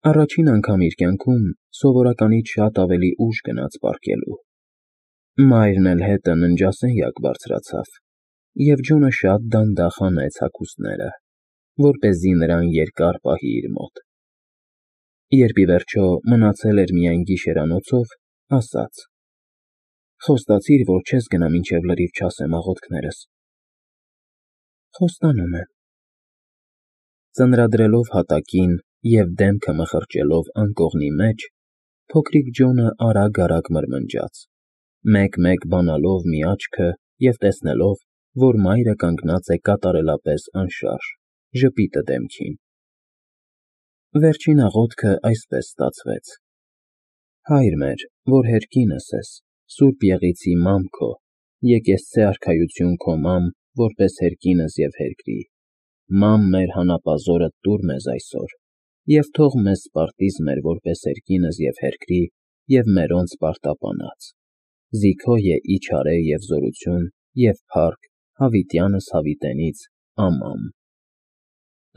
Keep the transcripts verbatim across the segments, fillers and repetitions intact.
Առաջին անգամ իր կյանքում սովորականից շատ ավելի ուշ գնաց պառկելու։ Մայրն էլ հետը ննջասենյակ բարձրացավ, և Ջոնը շատ դանդաղ հանեց հագուստները, որպեսզի նրան երկար պահի իր մոտ։ Երբ, ի վերջո, մնացել էր միայն գիշերանոցով, ասաց. «Խոստացիր, որ չես գնա, մինչև լրիվ չասեմ աղոթքներս»։ «Խոստանում եմ»։ Ծնրադրելով հատակին և դեմքը մխրճելով անկողնի մեջ, փոքրիկ Ջոնը արագ֊արագ մրմնջաց, մեկ֊մեկ բանալով մի աչքը և տեսնելով, որ մայրը կանգնած է կատարելապես անշարժ, ժպիտը դեմքին։ Վերջին աղոթքը այսպես ստացվեց. «Հայր մեր, որ հերկինս ես, սուրբ եղիցի մամ քո, եկեղեցե արքայություն քո մամ, որպես հերկինս և հերկրի, մամ մեր հանապազօրդ տուր մեզ այսօր, և թող մեզ սպարտիզմեր, որպես հերկինս և հերկրի, և մերոնց պարտապանած, զիքո է իչարե և զորություն, և փառք հավիտյանս հավիտենից, ամամ»։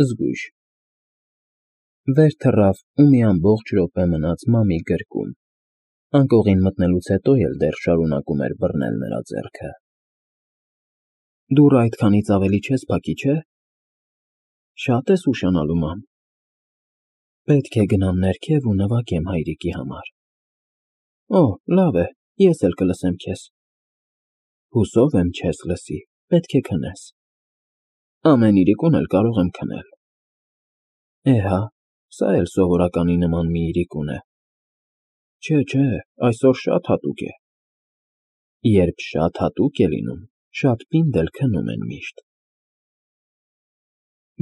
Զգույշ։ Վեր թռավ ու մի ամբողջ րոպե մնաց մամի գրկում, անկողին մտնելուց հետո էլ դեռ շարունակում էր բռնել նրա ձեռքը։ «Դուռը այդքանից ավելի չես փակի, չէ՞։ Շա՞տ ես ուշանալու, մամ։ Պետք է գնամ ներքև ու նվագեմ հայրիկի համար»։ «Օ, լավ է, ես էլ կլսեմ քեզ»։ «Հուսով եմ չես լսի, պետք է քնես»։ «Ամեն իրիկուն էլ կարող եմ քնել»։ «Էհա, սա էլ սովորականի նման մի իրիկուն է»։ «Չէ, չէ, այսօր շատ հատուկ է»։ «Երբ շատ հատուկ է լինում, շատ պինդ էլ քնում են միշտ»։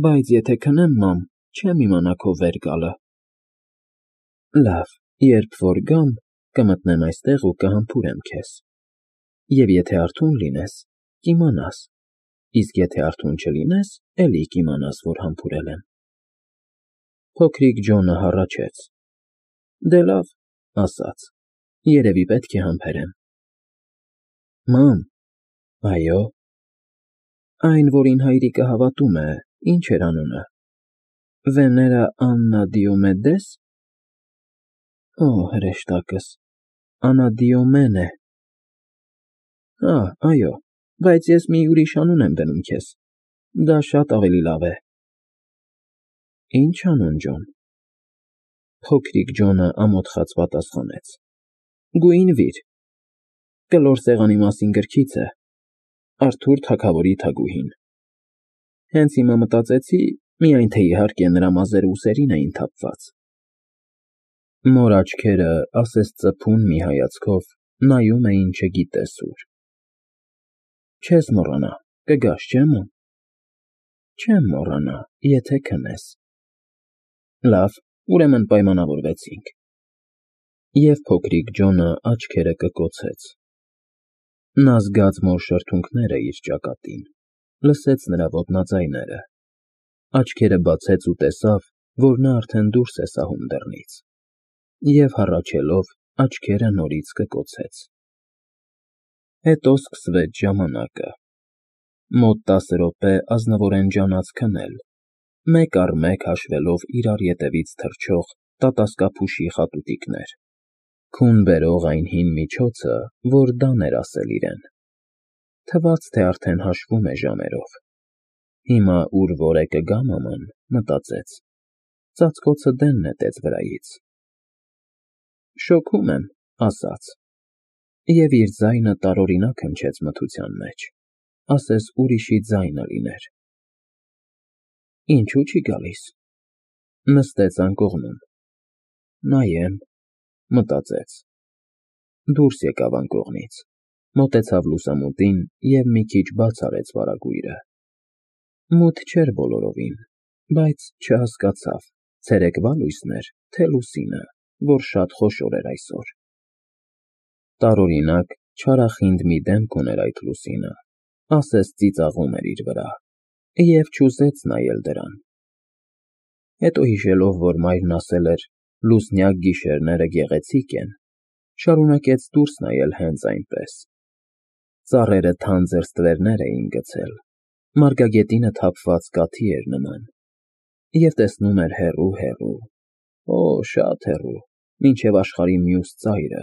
«Բայց եթե քնեմ, մամ, չեմ իմանա քո վեր գալը»։ «Լավ, երբ որ գամ, կմտնեմ այստեղ ու կհամբուրեմ քեզ, և եթե արթուն լինես, կիմանաս, իսկ եթե արթուն չլինես, էլի կիմանաս, որ համբուրել եմ»։ Փոքրիկ Ջոնը հառաչեց. «Դե լավ», ասաց, «երևի պետք է համբերեմ»։ «Մամ»։ «Այո»։ «Այն, որին հայրիկը հավատում է, ի՞նչ էր անունը։ Վեներա Աննա Դիոմեդե՞ս։ Օ, հրեշտակս, Անադիոմեն է։ Ա, այո, բայց ես մի ուրիշ անուն եմ դնում քեզ, դա շատ ավելի լավ է»։ «Ի՞նչ անուն, Ջոն»։ Փոքրիկ Ջոնը ամոթխած պատասխանեց. «Գուինվիր, կլոր սեղանի մասին գրքից է, Արթուր թագավորի թագուհին։ Հենց հիմա մտածեցի, միայն թե իհարկե նրա մազերը ուսերին էին թափված»։ Մոր աչքերը ասես ծփուն մի հայացքով նայում էին չգիտես ուր։ «Չես մոռանա, կգաս, չէ՞, մամ»։ «Չեմ մոռանա, եթե քնես»։ «Լավ, ուրեմն պայմանավորվեցինք»։ Եվ փոքրիկ Ջոնը աչքերը կկոցեց։ Նա զգաց մոր շրթունքները իր ճակատին, լսեց նրա ոտնաձայները, աչքերը բացեց ու տեսավ, որ նա արդեն դուրս է սահում դռնից, և հառաչելով, աչքերը նորից կկոցեց։ Հետո սկսվեց ժամանակը։ Մոտ տասը րոպե ազնվորեն ջանաց քնել, մեկ առ մեկ հաշվելով իրար ետևից թռչող տատասկափուշի խատուտիկներ, քուն բերող այն հին միջոցը, որ դան էր ասել իրեն։ Թվաց, թե արդեն հաշվում է ժամերով։ Հիմա ուր որ է կգա մաման, մտածեց, ծածկոցը դեն նետեց վրայից։ «Շոգում եմ», ասաց, և իր ձայնը տարօրինակ հնչեց մթության մեջ, ասես ուրիշի ձայնը լիներ։ «Ինչու չի գալիս»։ Նստեց անկողնում։ «Նայեմ», մտածեց։ Դուրս եկավ անկողնից, մոտեցավ լուսամուտին և մի քիչ բաց արեց վարագույրը։ Մութ չէր բոլորովին, բայց չհասկացավ ցերեկվա լույսն էր, թե լուսինը, որ շատ խոշոր էր այսօր։ Տարօրինակ, չարախինդ մի դեմք ուներ այդ լուսինը, ասես ծիծաղում էր իր վրա, և չուզեց նայել դրան։ Հետո հիշելով, որ մայրն ասել էր. «Լուսնյակ գիշերները գեղեցիկ են», շարունակեց դուրս նայել հենց այնպես։ Ծառերը թանձր ստվերներ էին գցել, մարգագետինը թափված կաթի էր նման, և տեսնում էր հեռու֊հեռու, Օ, շատ հեռու, մինչև աշխարհի մյուս ծայրը,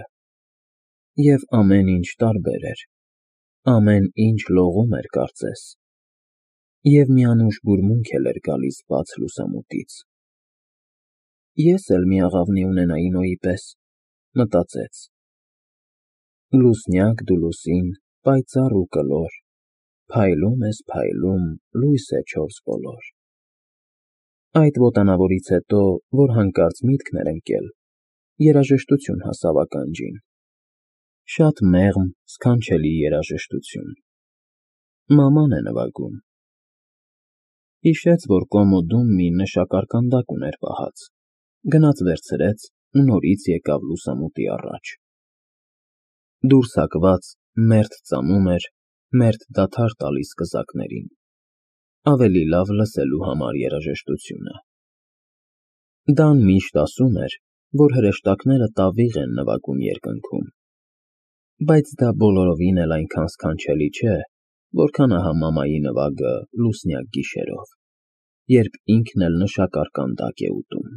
և ամեն ինչ տարբեր էր, ամեն ինչ լողում էր կարծես, և մի անուշ բուրմունք էլ էր գալիս բաց լուսամուտից։ Ես էլ մի աղավնի ունենայի Նոյի պես, մտածեց. լուսնյակ դու լուսին, պայծառ ու կլոր, փայլում ես փայլում, լույս է չորս բոլոր։ Այդ ոտանավորից հետո, որ հանկարծ միտքն էր ընկել, երաժշտություն հասավ ականջին, շատ մեղմ, սքանչելի երաժշտություն, մաման է նվագում։ Հիշեց, որ կոմոդում մի նշակարկանդակ ուներ պահած, գնաց վերցրեց ու նորից եկավ լուսամուտի առաջ։ Դուրս հակված մերթ ծամում էր, մերթ դադար տալիս կզակներին, ավելի լավ լսելու համար երաժշտությունը։ Դան միշտ ասում էր, որ հրեշտակները տավիղ են նվագում երկնքում, բայց դա բոլորովին էլ այնքան սքանչելի չէ, որքան ահա մամայի նվագը լուսնյակ գիշերով, երբ ինքն էլ նշակարկանդակ է ուտում։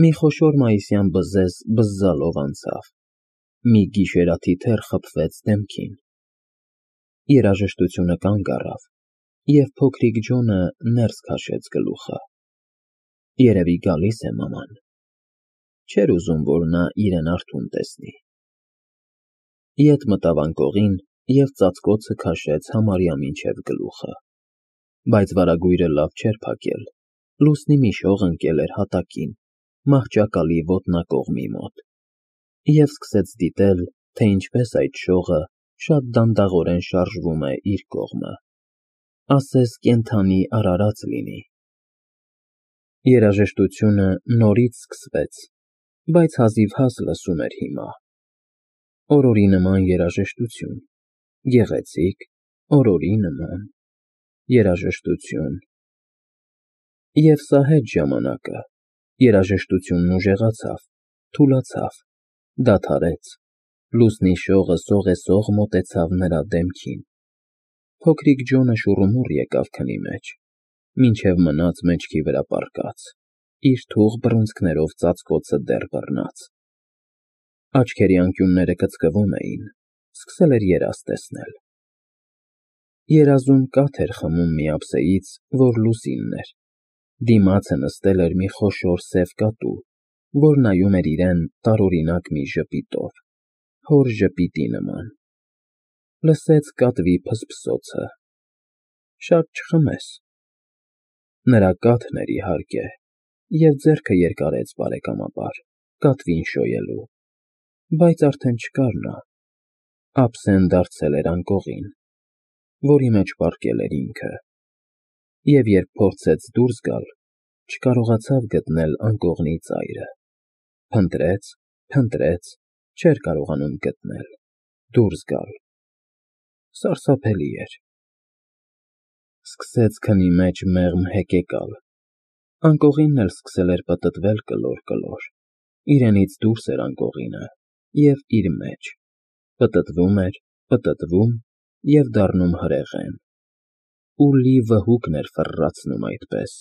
Մի խոշոր մայիսյան բզեզ բզզալով անցավ, մի գիշերաթիթեռ խփվեց դեմքին։ Երաժշտությունը կանգ առավ, և փոքրիկ Ջոնը ներս քաշեց գլուխը։ Երևի գալիս է մաման։ Չէր ուզում, որ նա իրեն արթուն տեսնի։ Ետ մտավ անկողին և ծածկոցը քաշեց համարյա մինչև գլուխը, բայց վարագույրը լավ չէր փակել, լուսնի մի շող ընկել էր հատակին, մահճակալի ոտնակողմի մոտ, և սկսեց դիտել, թե ինչպես այդ շողը շատ դանդաղորեն շարժվում է իր կողմը, ասես կենդանի արարած լինի։ Երաժշտությունը նորից սկսվեց, բայց հազիվհազ լսում էր հիմա։ Օրորի նման երաժշտություն, գեղեցիկ, օրորի նման երաժշտություն։ Եվ սա հետ ժամանակը, երաժշտությունն ուժեղացավ, թուլացավ, դադարեց, լուսնի շողը սողեսող մոտեցավ նրա դեմքին։ Փոքրիկ Ջոնը շուռումուռ եկավ քնի մեջ, մինչև մնաց մեջքի վրա պառկած, իր թուղ բռունցքներով ծածկոցը դեռ բռնած։ Աչքերի անկյունները կծկվում էին, սկսել էր երազ տեսնել։ Երազում կաթ էր խմում մի ափսեից, որ լուսինն էր, դիմացը նստել էր մի խոշոր սև կատու, որ նայում էր իրեն տարօրինակ մի ժպիտով, հոր ժպիտի նման։ Լսեց կատվի փսփսոցը. շատ չխմես։ Նրա կաթն էր, իհարկե, և ձեռքը երկարեց բարեկամաբար, կատվին շոյելու, բայց արդեն չկար նա, ափսեն դարձել էր անկողին, որի մեջ պառկել էր ինքը, և երբ փորձեց դուրս գալ, չկարողացավ գտնել անկողնի ծայրը, փնտրեց, փնտրեց, չէր կարողանում գտնել, դուրս գալ։ Սարսափելի էր։ Սկսեց քնի մեջ մեղմ հեկեկալ, անկողինն էլ սկսել էր պտտվել կլոր֊կլոր, իրենից դուրս էր անկողինը և իր մեջ, պտտվում էր, պտտվում և դառնում հրեղեն, ու լի վհուկն էր ֆռռացնում այդպես,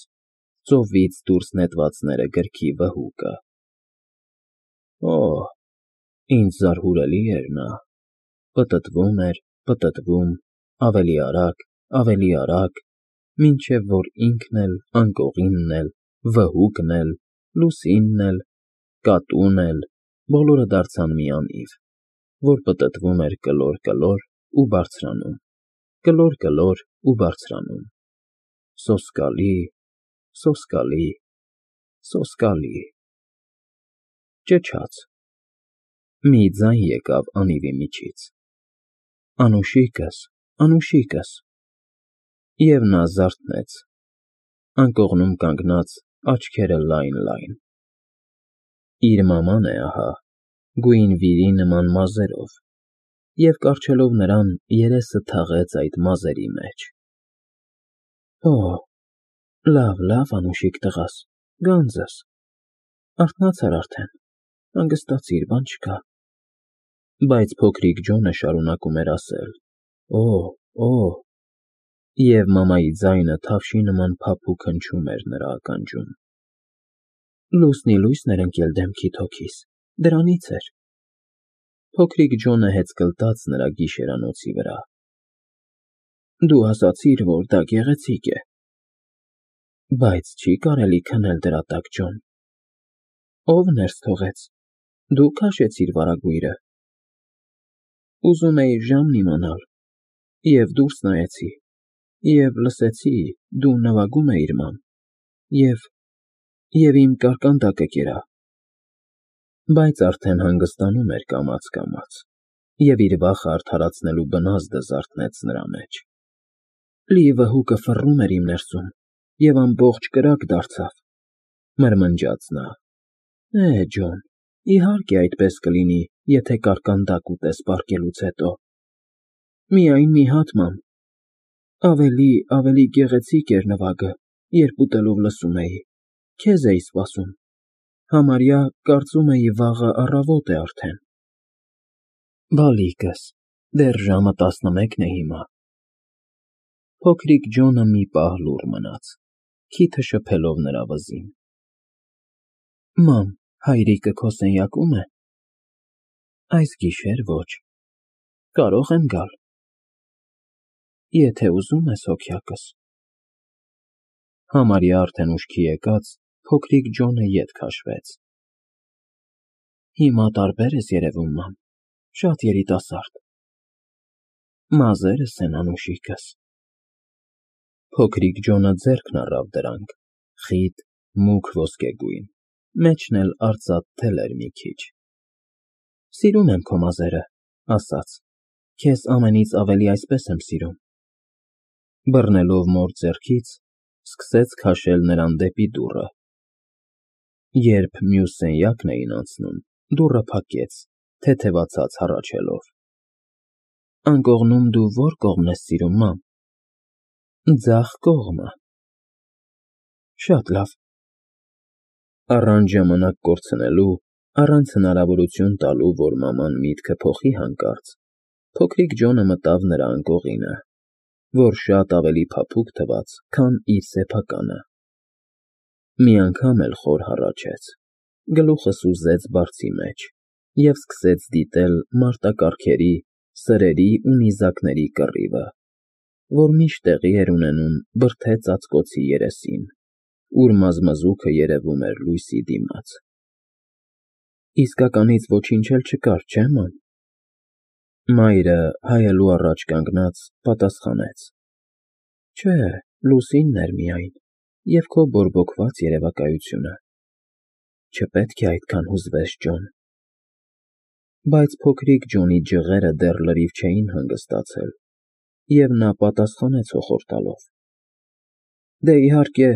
ծովից դուրս նետվածները գրքի վհուկը։ Օ՜, ինչ զարհուրելի էր նա, պտտվում էր, պտտվում, ավելի արագ, ավելի արագ, մինչև որ ինքն էլ, անկողինն էլ, վհուկն էլ, լուսինն էլ, կատուն էլ, բոլորը դարձան մի անիվ, որ պտտվում էր կլոր֊կլոր ու բարձրանում, կլոր֊կլոր ու բարձրանում, սոսկալի, սոսկալի, սոսկալի… Ճչաց… Մի ձայն եկավ անիվի միջից. «Անուշիկս, Անուշիկս»… և նա զարթնեց, անկողնում կանգնած, աչքերը լայն֊լայն… Իր մաման է ահա, գույն վիրի նման մազերով, և կառչելով նրան, երեսը թաղեց այդ մազերի մեջ։ Օ՜, լավ, լավ, Անուշիկ տղաս, գանձս, արթնացար արդեն, հանգստացիր, բան չկա։ Բայց փոքրիկ Ջոնը շարունակում էր ասել. «Օ՜, օ՜», և մամայի ձայնը թավշի նման փափուկ հնչում էր նրա ականջում։ Լուսնի լույսն էր ընկել դեմքիդ հոգիս, դրանից էր։ Փոքրիկ Ջոնը հեծկլտաց նրա գիշերանոցի վրա։ Դու ասացիր, որ դա գեղեցիկ է։ Բայց չի կարելի քնել դրա տակ, Ջոն։ Ով ներս թողեց։ Դու քաշեցիր վարագույրը։ Ուզում էի ժամն իմանալ, և դուրս նայեցի, և լսեցի, դու նվագում էիր, մամ, և… և իմ կարկանդակը կերա… Բայց արդեն հանգստանում էր կամաց֊կամաց, և իր վախը արդարացնելու բնազդը զարթնեց նրա մեջ։ Լի վհուկը ֆռռում էր իմ ներսում և ամբողջ կրակ դարձավ, մրմնջաց նա։ Է, Ջոն, իհարկե այդպես կլինի, եթե կարկանդակ ուտես պառկելուց հետո։ Միայն մի հատ, մամ։ Ավելի, ավելի գեղեցիկ էր նվագը, երբ ուտելով լսում էի, քեզ էի սպասում, համարյա կարծում էի վաղը առավոտ է արդեն։ Բալիկս, դեռ ժամը տասնմեկն է հիմա։ Փոքրիկ Ջոնը մի պահ լուռ մնաց, քիթը շփելով նրա վզին։ Մամ, հայրիկը քո սենյակո՞ւմ է։ Այս գիշեր ոչ։ Կարո՞ղ եմ գալ։ Եթե ուզում ես, հոգյակս։ Համարյա արդեն ուշքի եկած, փոքրիկ Ջոնը ետ քաշվեց։ Հիմա տարբեր ես երևում, մամ, շատ երիտասարդ։ Մազերս են, անուշիկս։ Փոքրիկ Ջոնը ձեռքն առավ դրանք, խիտ, մուգ ոսկեգույն, մեջն էլ արծաթ թել էր մի քիչ։ Սիրում եմ քո մազերը, ասաց, քեզ ամենից ավելի այսպես եմ սիրում։ Բռնելով մոր ձեռքից, սկսեց քաշել նրան դեպի դուռը։ Երբ մյուս սենյակն էին անցնում, դուռը փակեց, թեթևացած հառաչելով։ Անկողնում դու ո՞ր կողմն ես սիրում, մամ։ Ձախ կողմը։ Շատ լավ։ Առանց ժամանակ կորցնելու, առանց հնարավորություն տալու, որ մաման միտքը փոխի հանկարծ, փոքրիկ Ջոնը մտավ նրա անկողինը, որ շատ ավելի փափուկ թվաց, քան իր սեփականը։ Մի անգամ էլ խոր հառաչեց, գլուխը սուզեց բարձի մեջ և սկսեց դիտել մարտակառքերի, սրերի ու նիզակների կռիվը, որ միշտ տեղի էր ունենում բրդե ծածկոցի երեսին, ուր մազմզուկը երևում էր լույսի դիմաց։ Իսկականից ոչինչ էլ չկար, չէ՞, մամ։ Մայրը, հայելու առաջ կանգնած, պատասխանեց. Չէ, լուսինն էր միայն, և քո բորբոքված երևակայությունը։ Չպետք է այդքան հուզվես, Ջոն։ Բայց փոքրիկ Ջոնի ջղերը դեռ լրիվ չէին հանգստացել, և նա պատասխանեց հոխոր տալով. Դե, իհարկե,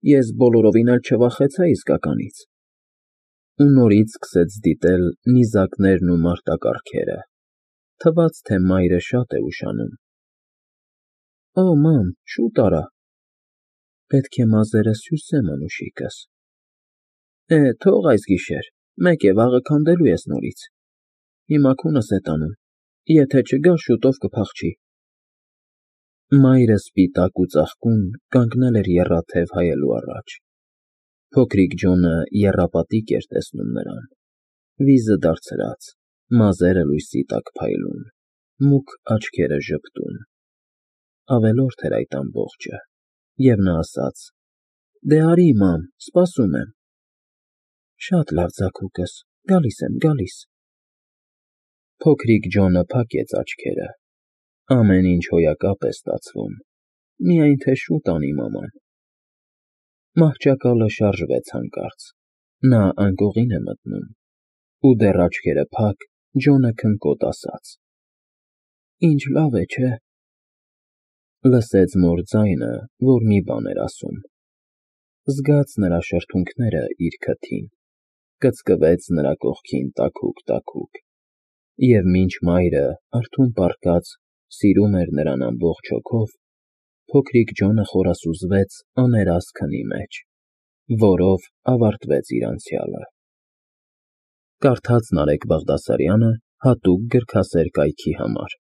ես բոլորովին էլ չվախեցա իսկականից։ Ու նորից սկսեց դիտել նիզակներն ու մարտակառքերը, թվաց, թե մայրը շատ է ուշանում։ Օ, մամ, շուտ արա։ Պետք է մազերս հյուսեմ, անուշիկս։ Է, թող այս գիշեր, մեկ է, վաղը քանդելու ես նորից։ Հիմա քունս է տանում, եթե չգա, շուտով կփախչի։ Մայրը սպիտակ ու ծաղկուն կանգնել էր եռաթև հայելու առաջ։ Փոքրիկ Ջոնը եռապատիկ էր տեսնում նրան, վիզը դարձրած, մազերը լույսի տակ փայլուն, մուգ աչքերը ժպտուն։ Ավելորդ էր այդ ամբողջը, և նա ասաց. Դե արի, մամ, սպասում եմ։ Շատ լավ, ձագուկս, գալիս եմ, գալիս։ Փոքրիկ Ջոնը փակեց աչքերը։ Ամեն ինչ հոյակապ է ստացվում, միայն թե շուտ անի մաման։ Մահճակալը շարժվեց հանկարծ, նա անկողին է մտնում, ու դեռ աչքերը փակ, Ջոնը քնկոտ ասաց. Ինչ լավ է, չէ՞։ Լսեց մոր ձայնը, որ մի բան էր ասում։ Զգաց նրա շրթունքները իր քթին, կծկվեց նրա կողքին տաքուկ֊տաքուկ, և մինչ մայրը, արթուն պառկած, սիրում էր նրան ամբողջ հոգով, փոքրիկ Ջոնը խորասուզվեց աներաս քնի մեջ, որով ավարտվեց իր անցյալը։ Կարդաց Նարեկ Բաղդասարյանը հատուկ գրքասեր կայքի համար։